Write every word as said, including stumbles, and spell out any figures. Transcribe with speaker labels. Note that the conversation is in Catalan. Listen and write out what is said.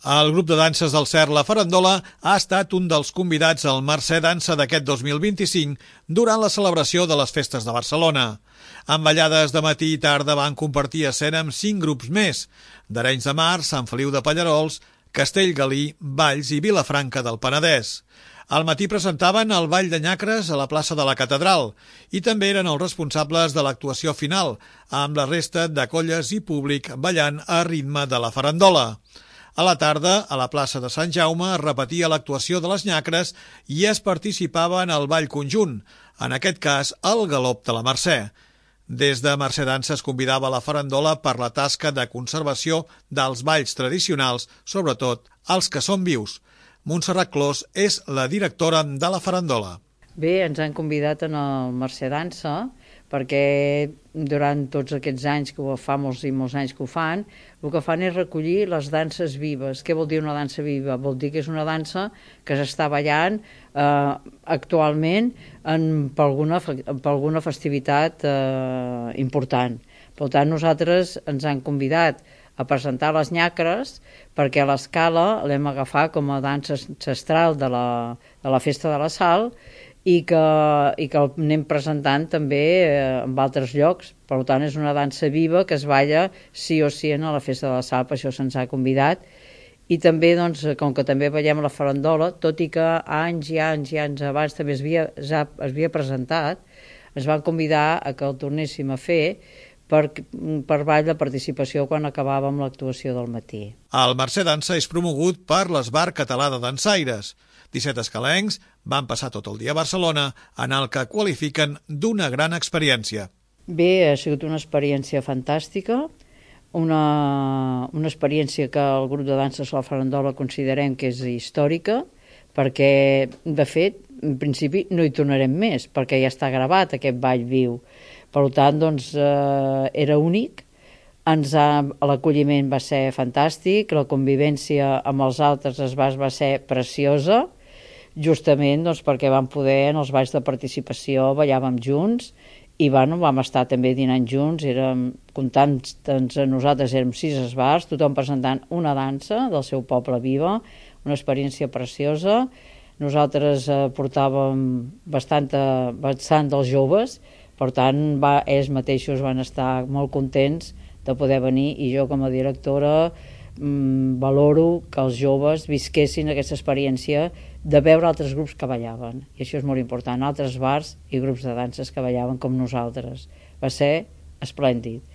Speaker 1: El grup de danses del Cert La Farandola ha estat un dels convidats al Mercè Dansa d'aquest dos mil vint-i-cinc durant la celebració de les festes de Barcelona. Amb ballades de matí i tarda van compartir escena amb cinc grups més: d'Arenys de Mar, Sant Feliu de Pallerols, Castellgalí, Valls i Vilafranca del Penedès. Al matí presentaven el Ball de Nyacres a la plaça de la Catedral i també eren els responsables de l'actuació final, amb la resta de colles i públic ballant a ritme de la farandola. A la tarda, a la plaça de Sant Jaume, es repetia l'actuació de les nyacres i es participava en el ball conjunt, en aquest cas el galop de la Mercè. Des de Mercè Dansa es convidava la farandola per la tasca de conservació dels balls tradicionals, sobretot els que són vius. Montserrat Clos és la directora de la farandola.
Speaker 2: Bé, ens han convidat en el Mercè Dansa perquè durant tots aquests anys, que ho fa molts i molts anys que ho fan, el que fan és recollir les danses vives. Què vol dir una dansa viva? Vol dir que és una dansa que s'està ballant eh, actualment en, per, alguna, per alguna festivitat eh, important. Per tant, nosaltres ens han convidat a presentar les nyacres perquè a l'escala l'hem agafat com a dansa ancestral de la, de la Festa de la Sal i que, i que el anem presentant també eh, en altres llocs. Per tant, és una dansa viva que es balla sí o sí a la Festa de la Sal, per això se'ns ha convidat. I també, doncs, com que també ballem la farandola, tot i que anys i anys i anys abans també es havia, ja es havia presentat, ens van convidar a que el tornéssim a fer per, per ball de participació quan acabàvem l'actuació del matí.
Speaker 1: El Mercè Dansa és promogut per l'Esbar Català de Dansaires. disset escalencs van passar tot el dia a Barcelona, en el que qualifiquen d'una gran experiència.
Speaker 2: Bé, ha sigut una experiència fantàstica, una, una experiència que el grup de danses La Farandola considerem que és històrica, perquè, de fet, en principi no hi tornarem més, perquè ja està gravat aquest ball viu. Per tant, doncs, eh, era únic, ens ha, l'acolliment va ser fantàstic, la convivència amb els altres es va, va ser preciosa, justament doncs, perquè vam poder, en els balls de participació, ballàvem junts, i bueno, vam estar també dinant junts, érem, comptant doncs, nosaltres érem sis esbars, tothom presentant una dansa del seu poble viva, una experiència preciosa. Nosaltres eh, portàvem bastant, bastant dels joves, per tant, va, ells mateixos van estar molt contents de poder venir, i jo com a directora mmm, valoro que els joves visquessin aquesta experiència de veure altres grups que ballaven, i això és molt important, altres bars i grups de danses que ballaven com nosaltres. Va ser esplèndid.